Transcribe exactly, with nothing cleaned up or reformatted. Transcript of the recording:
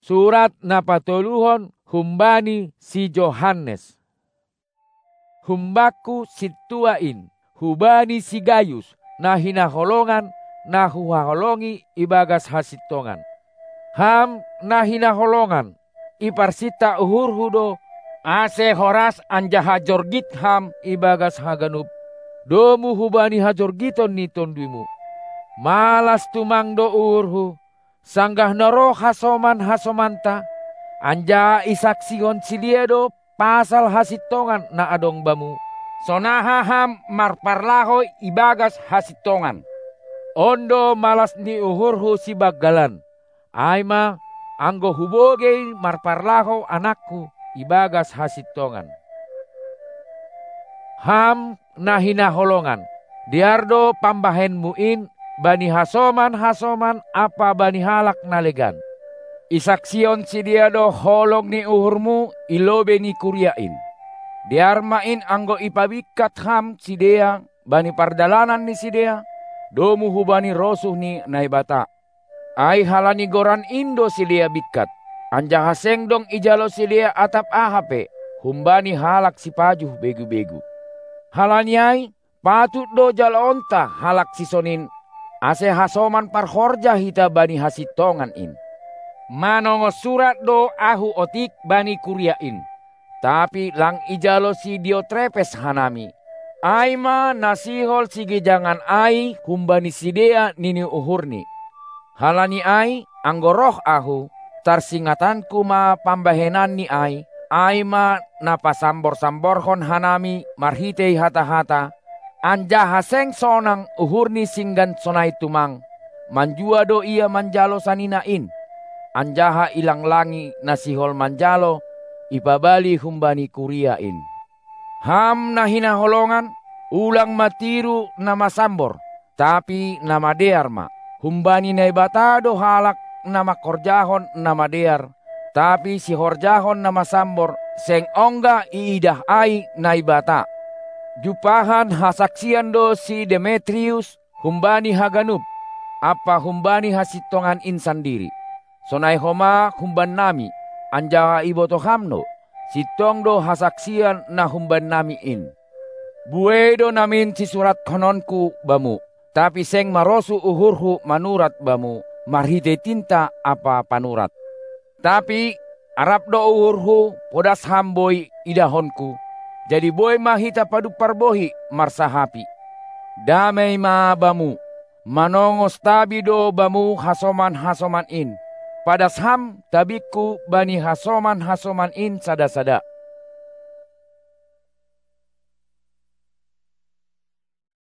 Surat na patoluhon humbani si Johannes. Humbakku sintua in, hubani si Gayus, na hinaholongan, na huhaholongi ibagas hasintongan. Ham na hinaholongan, iparsinta uhurhu do, ase horas anjaha jorgit ham ibagas haganup domu hubani hajorgiton ni tonduymu. Malas tumang do uhurhu, sanggah na roh hasoman-hasomanta, anjaha isaksihon sidea do pasal hasintongan na adong bamu, sonaha ham marparlahou ibagas hasintongan. On do malas ni uhurhu sibanggalan, ai ma, anggo hubogei marparlahou anakku ibagas hasintongan. Ham na hinaholongan, dear do pambahenmu in bani hasoman-hasoman ampa bani halak na legan. Isaksihon sidea do holong ni uhurmu i lobei ni kuria in. Dear ma in anggo ipabingkat ham sidea bani pardalanan ni sidea, domu hubani rosuh ni Naibata. Ai halani goran in do sidea bingkat, anjaha seng dong ijalo sidea atap aha pe humbani halak sipajuh begu-begu. Halani ai, patut do jaloonta halak sisonin, ase hasoman parhorja hita bani hasintongan in. Manongos surat do ahu otik bani kuria in, tapi lang ijalo si Diotrepes hanami, ai ma na sihol sigijangan ai humbani sidea nini uhurni. Halani ai, anggo roh ahu, tarsingatanku ma pambahenanni ai, ai ma na pasambor-samborhon hanami marhitei hata-hata, anjaha seng sonang uhurni singgan sonai tumang, manjua do ia manjalo sanina in, anjaha ilanglangi na sihol manjalo ipabali humbani kuria in. Ham na hinaholongan, ulang ma tiru na masambor, tapi na madear ma. Humbani Naibata do halak na mangkorjahon na madear, tapi sihorjahon na masambor seng ongga iidah ai Naibata. Jumpahan hasaksian do si Demetrius humbani haganup, ampa humbani hasintongan in sandiri. Sonai homa humbannami, anjaha ibotoh ham do, sintong do hasaksian na humbannami in. Buei do namin sisurathononku bamu, tapi seng marosuh uhurhu manurat bamu marhitei tinta ampa panurat. Tapi arap do uhurhu podas ham boi idahonku, jadi boi ma hita padumpar bohi marsahapi. Damei ma bamu. Manongos tabi do bamu hasoman-hasoman in. Padas ham tabingku bani hasoman-hasoman in sada-sada.